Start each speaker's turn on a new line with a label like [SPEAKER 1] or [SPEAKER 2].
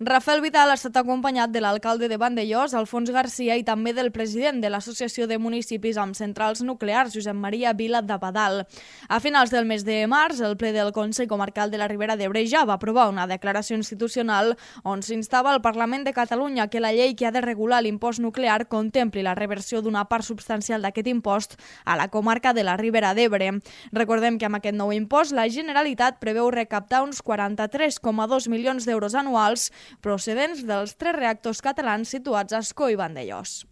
[SPEAKER 1] Rafael Vidal ha estat acompanyat de l'alcalde de Vandellòs, Alfons Garcia, i també del president de l'Associació de Municipis amb Centrals Nuclears, Josep Maria Vila d'Abadal. A finals del mes de març, el ple del Consell Comarcal de la Ribera d'Ebre ja va aprovar una declaració institucional on s'instava al Parlament de Catalunya que la llei que ha de regular l'impost nuclear contempli la reversió d'una part substancial d'aquest impost a la comarca de la Ribera d'Ebre. Recordem que amb aquest nou impost la Generalitat preveu recaptar uns 43,2 milions d'euros anuals procedents dels 3 reactors catalans situats a Ascó i Vandellòs.